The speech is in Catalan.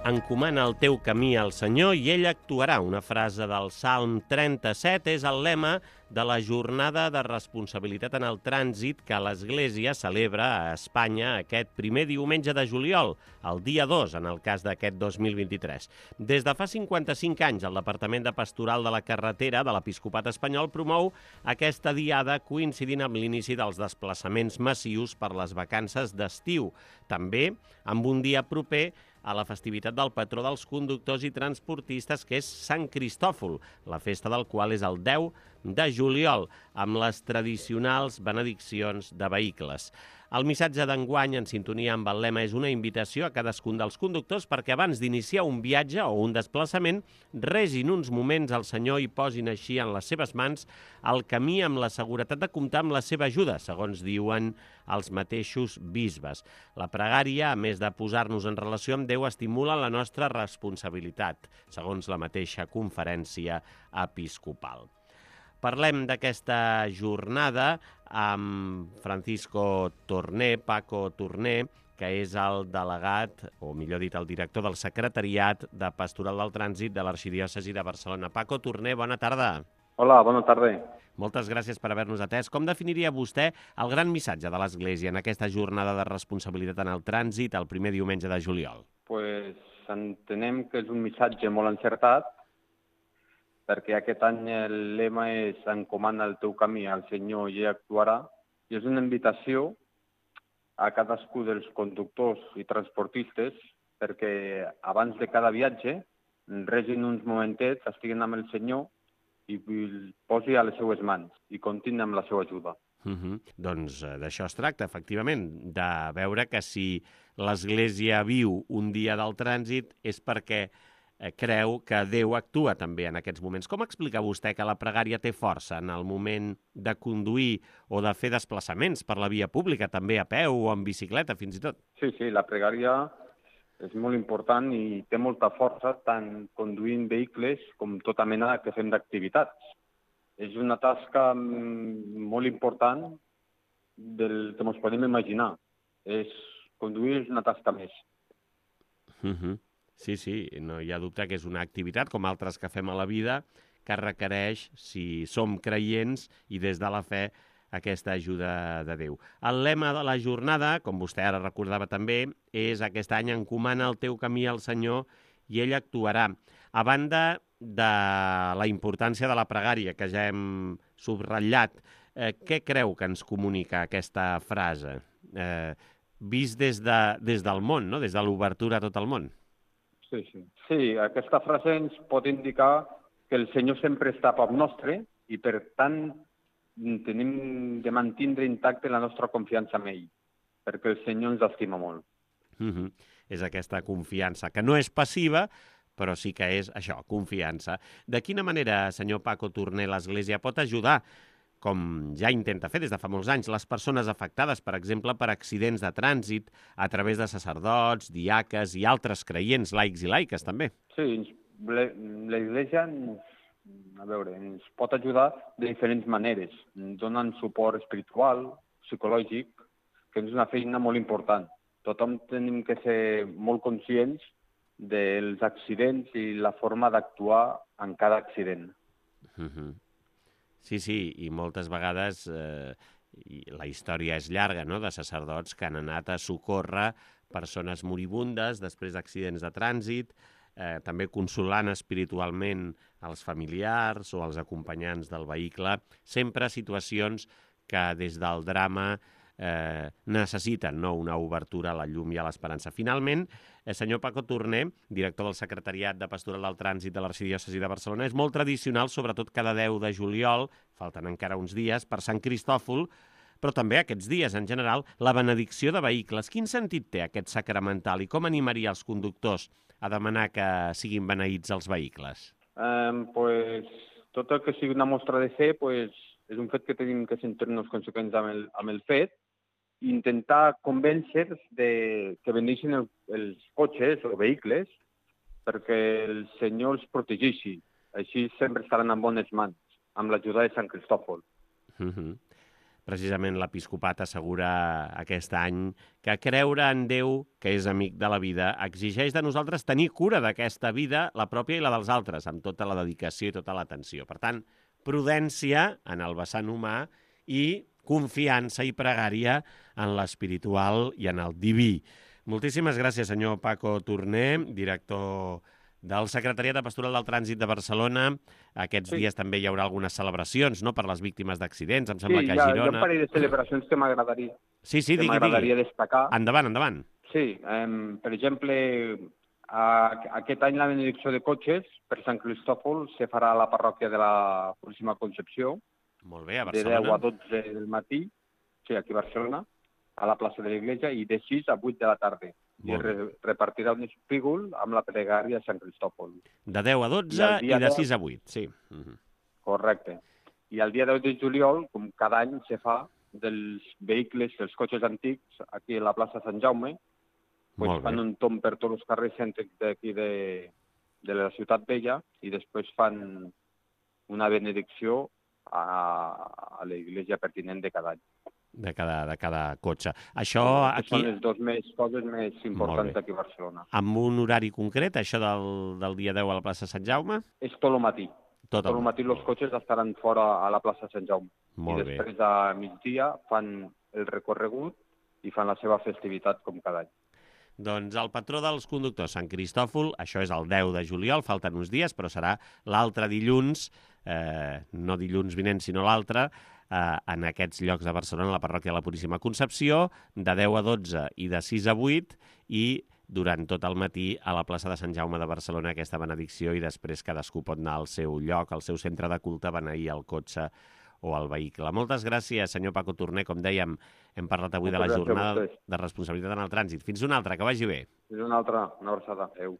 Encomana el teu camí al Senyor i ell actuarà. Una frase del Salm 37 és el lema de la jornada de responsabilitat en el trànsit que l'Església celebra a Espanya aquest primer diumenge de juliol, el dia 2, en el cas d'aquest 2023. Des de fa 55 anys, el Departament de Pastoral de la Carretera de l'Episcopat espanyol promou aquesta diada coincidint amb l'inici dels desplaçaments massius per les vacances d'estiu. També amb un dia proper a la festivitat del patró dels conductors i transportistes, que és Sant Cristòfol, la festa del qual és el 10 de juliol, amb les tradicionals benediccions de vehicles. El missatge d'enguany, en sintonia amb el lema, és una invitació a cadascun dels conductors perquè abans d'iniciar un viatge o un desplaçament regin uns moments al Senyor i posin així en les seves mans el camí amb la seguretat de comptar amb la seva ajuda, segons diuen els mateixos bisbes. La pregària, a més de posar-nos en relació amb Déu, estimula la nostra responsabilitat, segons la mateixa conferència episcopal. Parlem d'aquesta jornada amb Francisco Torné, Paco Torné, que és el delegat, o millor dit, el director del Secretariat de Pastoral del Trànsit de l'Arxidiòcesi de Barcelona. Paco Torné, bona tarda. Hola, bona tarda. Moltes gràcies per haver-nos atès. Com definiria vostè el gran missatge de l'Església en aquesta jornada de responsabilitat en el trànsit el primer diumenge de juliol? Pues entenem que és un missatge molt encertat, perquè aquest any el lema és encomana el teu camí al Senyor i ell actuarà, i és una invitació a cadascú dels conductors i transportistes perquè abans de cada viatge regin uns momentets, estiguin amb el Senyor i el posi a les seues mans i comptin amb la seva ajuda. Doncs d'això es tracta, efectivament, de veure que si l'Església viu un dia del trànsit és perquè creu que Déu actua també en aquests moments. Com explica vostè que la pregària té força en el moment de conduir o de fer desplaçaments per la via pública, també a peu o en bicicleta, fins i tot? Sí, la pregària és molt important i té molta força tant conduint vehicles com tota mena que fem d'activitats. És una tasca molt important del que ens podem imaginar. Conduir és una tasca més. Sí, no hi ha dubte que és una activitat, com altres que fem a la vida, que requereix, si som creients i des de la fe, aquesta ajuda de Déu. El lema de la jornada, com vostè ara recordava també, és aquest any encomana el teu camí al Senyor i ell actuarà. A banda de la importància de la pregària, que ja hem subratllat, què creu que ens comunica aquesta frase? Vist des del món, no? Des de l'obertura a tot el món. Sí, aquesta frase ens pot indicar que el Senyor sempre està a prop nostre i, per tant, tenim de mantindre intacte la nostra confiança en ell, perquè el Senyor ens estima molt. És aquesta confiança, que no és passiva, però sí que és això, confiança. De quina manera, senyor Paco Torné, l'Església pot ajudar, com ja intenta fer des de fa molts anys, les persones afectades, per exemple, per accidents de trànsit, a través de sacerdots, diaques i altres creients, laics i laiques, també? Sí, l'Església ens pot ajudar de diferents maneres, donant suport espiritual, psicològic, que és una feina molt important. Tothom tenim que ser molt conscients dels accidents i la forma d'actuar en cada accident. Sí, i moltes vegades la història és llarga, no?, de sacerdots que han anat a socórrer persones moribundes després d'accidents de trànsit, també consolant espiritualment els familiars o els acompanyants del vehicle, sempre situacions que des del drama necessiten, no?, una obertura a la llum i a l'esperança. Finalment, senyor Paco Torné, director del Secretariat de Pastoral del Trànsit de l'Arxidiòcesi de Barcelona, és molt tradicional, sobretot cada 10 de juliol, falten encara uns dies, per Sant Cristòfol, però també aquests dies, en general, la benedicció de vehicles. Quin sentit té aquest sacramental i com animaria els conductors a demanar que siguin beneïts els vehicles? Tot el que sigui una mostra de fe és un fet que tenim que sentir-nos conseqüents amb el fet i intentar convèncer que beneixin els cotxes o vehicles perquè el Senyor els protegeixi. Així sempre estaran en bones mans, amb l'ajuda de Sant Cristòfol. precisament l'episcopat assegura aquest any que creure en Déu, que és amic de la vida, exigeix de nosaltres tenir cura d'aquesta vida, la pròpia i la dels altres, amb tota la dedicació i tota l'atenció. Per tant, prudència en el vessant humà i confiança i pregària en l'espiritual i en el diví. Moltíssimes gràcies, senyor Paco Torner, director del Secretariat de Pastoral del Trànsit de Barcelona. Aquests dies també hi haurà algunes celebracions, no?, per les víctimes d'accidents. Em sembla que a Girona... Sí, hi ha un parell de celebracions que m'agradaria. Sí, digui. M'agradaria destacar. Endavant. Sí, per exemple, aquest any la benedicció de cotxes per Sant Cristòfol se farà a la parròquia de la Puríssima Concepció. Molt bé, a Barcelona. De 10 a 12 del matí, sí, aquí a Barcelona, a la plaça de l'Església, i de 6 a 8 de la tarda. I repartirà un espígol amb la pregària a Sant Cristòfol. De 10 a 12 i de 6 a 8, sí. Correcte. I el dia 10 de juliol, com cada any se fa, dels vehicles, dels cotxes antics, aquí a la plaça Sant Jaume, fan un tomb per tots els carrers cèntrics d'aquí de la Ciutat Vella i després fan una benedicció a l'església pertinent de cada any. De cada cotxe. Això aquí... Són les dues coses més importants d'aquí a Barcelona. Amb un horari concret, això del dia 10 a la plaça Sant Jaume? És tot el matí. Tot el matí els cotxes estaran fora a la plaça Sant Jaume. I després a migdia fan el recorregut i fan la seva festivitat com cada any. Doncs el patró dels conductors, Sant Cristòfol, això és el 10 de juliol, falten uns dies, però serà l'altre dilluns, no dilluns vinent, sinó l'altre, en aquests llocs de Barcelona, a la parròquia de la Puríssima Concepció, de 10 a 12 i de 6 a 8, i durant tot el matí a la plaça de Sant Jaume de Barcelona aquesta benedicció, i després cadascú pot anar al seu lloc, al seu centre de culte, a beneir el cotxe o el vehicle. Moltes gràcies, senyor Paco Torner. Com dèiem, hem parlat avui de la jornada de responsabilitat en el trànsit. Fins una altra, que vagi bé. Fins una altra, una abraçada. Adéu.